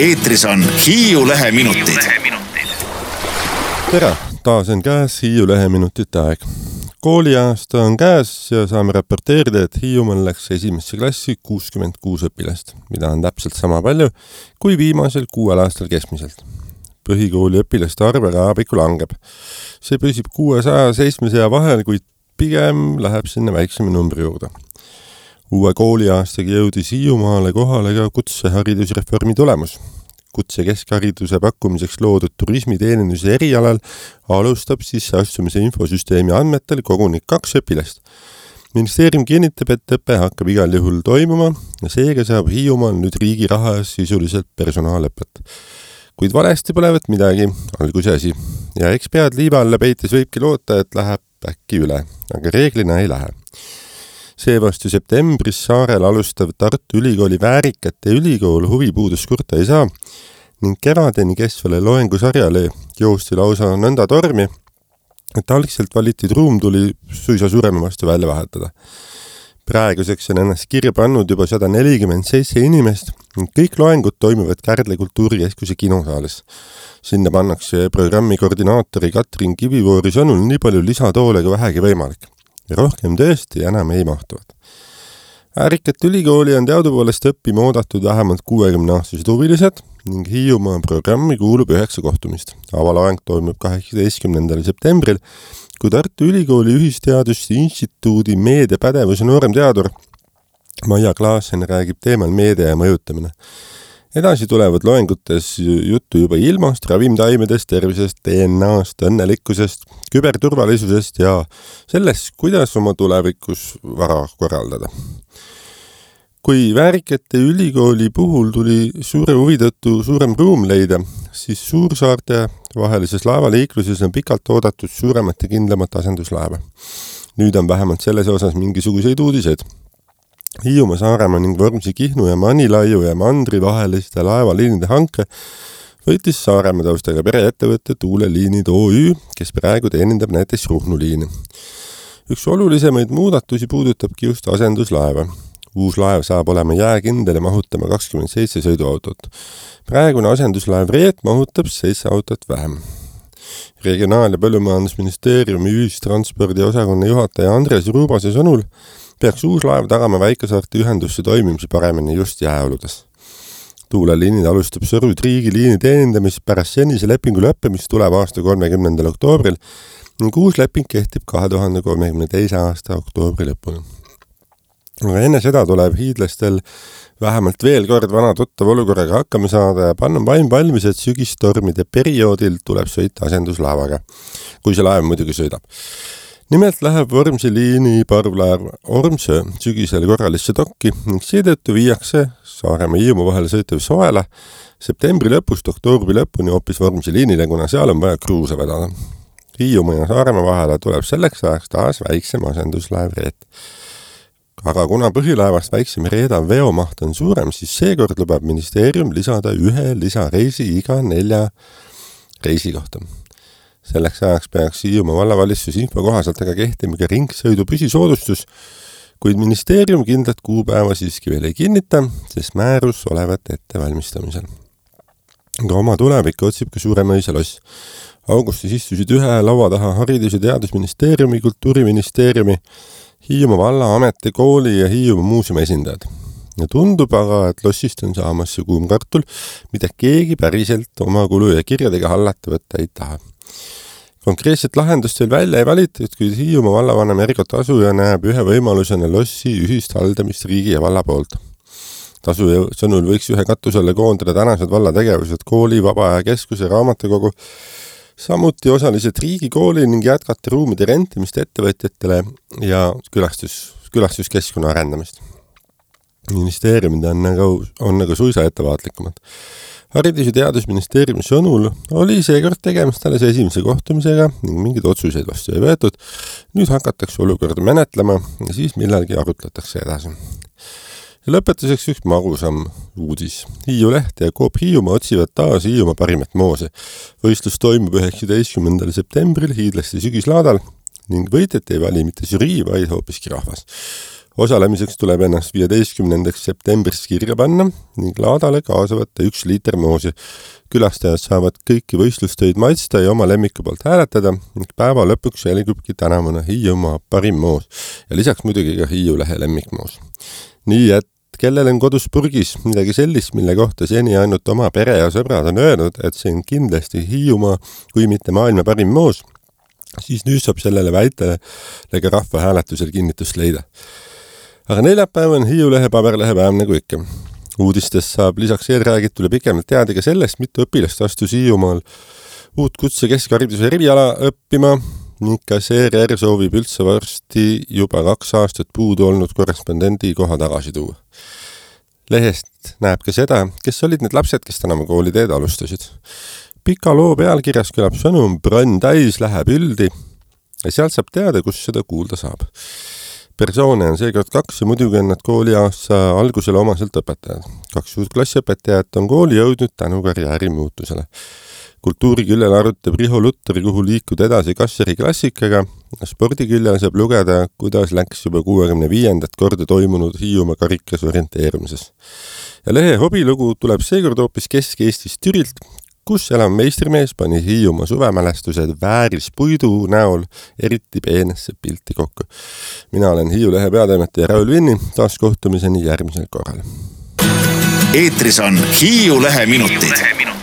Eetris on Hiiu Leheminutid. Tere, taas on käes Hiiu Leheminutite aeg. Kooliaasta on käes ja saame raporteerida, et Hiiumaal läks esimesse klassi 66 õpilast, mida on täpselt sama palju kui viimasel 6 aastal keskmiselt. Põhikooli õpilaste arv ajapikku langeb. See püsib 600-700 vahel, kuid pigem läheb sinna väiksema numbri juurde. Uue kooliaastaga jõudis Hiiumaale kohale ka kutseharidusreformi tulemus. Kutse keskhariduse pakkumiseks loodud turismiteeninduse erialal alustab sisseastumise infosüsteemi andmetel koguni 2 õpilast. Ministeerium kinnitab, et õpe hakkab igal juhul toimuma ja seega saab Hiiumaal nüüd riigi raha sisuliselt personaalõpet. Kuid valesti põlevat midagi, alguse asi. Ja eks pead liiva alla peites võibki loota, et läheb äkki üle, aga reeglina ei lähe. Seevastu septembris saarel alustav Tartu Ülikooli Väärikate ülikool huvipuudus kurta ei saa ning kevadeni kestvale loengusarjale joosti lausa nõnda tormi, et algselt valitud ruum tuli suisa surema vastu välja vahetada. Praeguseks on ennast kirja pannud juba 147 inimest ning kõik loengud toimuvad Kärdla kultuurikeskuse kinosaalis. Sinna pannakse programmi koordinaatori Katrin Kivivoori sõnul nii palju lisatoole kui vähegi võimalik. Ja rohkem tõesti enam ei mahtuvad. Väärikat ülikooli on teadupoolest õppima oodatud vähemalt 60-aastased huvilised ning Hiiumaa programmi kuulub 9 kohtumist. Avaloeng toimub 18. septembril, kui Tartu Ülikooli Ühisteaduste Instituudi meediapädevuse noorem teadur Maia Klaasen räägib teemal meedia ja mõjutamine. Edasi tulevad loengutes juttu juba ilmast, ravimtaimedest, tervisest, DNA-st, õnnelikkusest, küberturvalisusest ja sellest, kuidas oma tulevikus vara korraldada. Kui Väärikate ülikooli puhul tuli suure huvi tõttu suurem ruum leida, siis suursaarte vahelises laevaliikluses on pikalt oodatud suuremat ja kindlamat asenduslaeva. Nüüd on vähemalt selles osas mingisuguseid uudiseid. Hiiumaa, Saaremaa ning Vormsi, Kihnu ja Manilaiu ja Mandri vaheliste laevaliinide hanke võitis Saaremaa taustaga pereettevõtte Tuuleliinid OÜ, kes praegu teenindab näiteks Ruhnu liini. Üks olulisemaid muudatusi puudutabki just asenduslaeva. Uus laev saab olema jääkindel ja mahutama 27 sõiduautot. Praegune asenduslaev Reet mahutab 7 autot vähem. Regionaal- ja Põllumajandusministeeriumi ühistranspordi osakonna juhataja Andres Ruubase sõnul peaks uus laev tagama väikesaarte ühendusse toimimise paremini just jääoludes. Tuuleliinid alustab Sõru-Triigi liini teenindamist pärast senise lepingu lõppemist tuleb aasta 30. oktoobril ning uus leping kehtib 2032. aasta oktoobri lõpuni. Aga enne seda tuleb hiidlastel vähemalt veel kord vana tuttav olukorraga hakkama saada ja panna vaim valmis, et sügistormide perioodil tuleb sõita asenduslaevaga, kui see laev muidugi sõidab. Nimelt läheb Vormsi liini parvlaev Ormsöö sügisel korralisse dokki ning seetõttu viiakse Saaremaa Hiiumaa vahel sõitev Soela septembri lõpust oktoobri lõpuni hoopis Vormsi liinile, kuna seal on vaja kruuse vedada. Hiiumaa ja Saaremaa vahele tuleb selleks ajaks taas väiksem asenduslaev Reet. Aga kuna põhilaevast väiksem Reeda veomaht on suurem, siis seekord lubab ministeerium lisada 1 lisareisi iga 4 reisi kohta. Selleks ajaks peaks Hiiumaa vallavalitsus info kohaselt aga kehtima ka ringsõidu püsisoodustus, kuid ministeerium kindlat kuupäeva siiski veel ei kinnita, sest määrus olevat ettevalmistamisel. Aga oma tulevikku otsib ka Suuremõisa loss. Augustis istusid ühe laua taha Haridus- ja Teadusministeeriumi, Kultuuriministeeriumi, Hiiumaa valla, ameti, kooli ja Hiiumaa muuseumi esindajad. Ja tundub aga, et lossist on saamas see kuum kartul, mida keegi päriselt oma kulu ja kirjadega hallata võtta ei taha. Konkreetset lahendust veel välja ei valitud, kuid Hiiumaa vallavanem Ergo Tasuja näeb ühe võimalusena lossi ühist haldamist riigi ja valla poolt. Tasuja sõnul võiks ühe katusele koondada tänased vallategevused kooli, vabaaja keskuse, raamatukogu, samuti osaliselt riigikooli ning jätkata ruumide rentimist ettevõtjatele ja külastuskeskkonna arendamist. Ministeeriumid on nagu suisa ettevaatlikumad. Haridus- ja Teadusministeeriumi sõnul oli seekord tegemist alles esimese kohtumisega ning mingeid otsuseid vastu ei võetud. Nüüd hakatakse olukorda menetlema ja siis millalgi arutletakse edasi. Ja lõpetuseks üks magusam uudis. Hiiu Leht ja Coop Hiiumaa otsivad taas Hiiumaa parimat moose. Võistlus toimub 19. septembril hiidlaste sügislaadal ning võitjat ei vali mitte žürii, vaid hoopiski rahvas. Osalemiseks tuleb ennast 15. septembriks kirja panna ning laadale kaasa võtta 1 liiter moosi. Külastajad saavad kõiki võistlustöid maitsta ja oma lemmiku poolt hääletada ning päeva lõpuks jäligubki tänavune Hiiumaa parim moos ja lisaks muidugi ka Hiiulehe lemmikmoos. Nii et kellel on kodus purgis midagi sellist, mille kohta seni ainult oma pere ja sõbrad on öelnud, et see on kindlasti Hiiumaa kui mitte maailma parim moos, siis nüüd saab sellele väitele ka rahva hääletusel kinnitust leida. Aga neljapäev on Hiiulehe paberlehe päev nagu ikka. Uudistest saab lisaks eelräägitule pikemalt teada ka sellest, mitu õpilast astus Hiiumaal uut kutse keskhariduse eriala õppima ning kas ERR soovib üldse varsti juba 2 aastat puudu olnud korrespondendi koha tagasi tuua. Lehest näeb ka seda, kes olid need lapsed, kes tänava kooliteed alustasid. Pika loo pealkirjas kõlab sõnum Brönn täis läheb üldi ja sealt saab teada, kus seda kuulda saab. Persoone on seekord 2 ja muidugi on nad kooliaasta algusele omaselt õpetajad. 2 uut klassiõpetajat on kooli jõudnud tänu karjääri muutusele. Kultuuriküljel arutab Riho Lutteri, kuhu liikuda edasi Kasseri klassikaga. Spordiküljel saab lugeda, kuidas läks juba 65. korda toimunud Hiiumaa karikas orienteerumises. Ja lehe hobilugu tuleb seekord hoopis Kesk-Eestis Türilt, kus elav meistrimees pani Hiiumaa suvemälestused vääris puidu näol eriti peenesse pilti kokku. Mina olen Hiiulehe peatoimetaja Raul Vinni, taas kohtumiseni järgmisel korral. Eetris on Hiiulehe minutid.